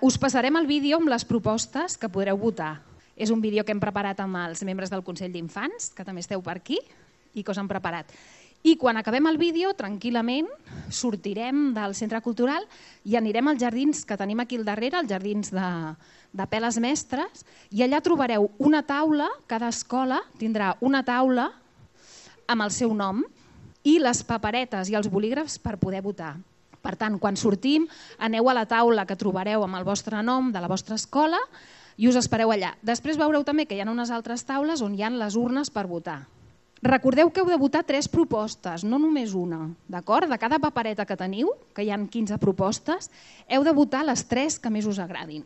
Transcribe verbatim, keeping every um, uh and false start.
Us passarem el vídeo amb les propostes que podreu votar. És un vídeo que hem preparat amb els membres del Consell d'Infants, que també esteu per aquí, i que us han preparat. I quan acabem el vídeo, tranquil·lament, sortirem del centre cultural i anirem als jardins que tenim aquí al darrere, els jardins de, de Peles Mestres, i allà trobareu una taula, cada escola tindrà una taula amb el seu nom i les paperetes i els bolígrafs per poder votar. Per tant, quan sortim, aneu a la taula que trobareu amb el vostre nom de la vostra escola i us espereu allà. Després veureu també que hi ha unes altres taules on hi ha les urnes per votar. Recordeu que heu de votar tres propostes, no només una, d'acord? De cada papereta que teniu, que hi ha quinze propostes, heu de votar les tres que més us agradin.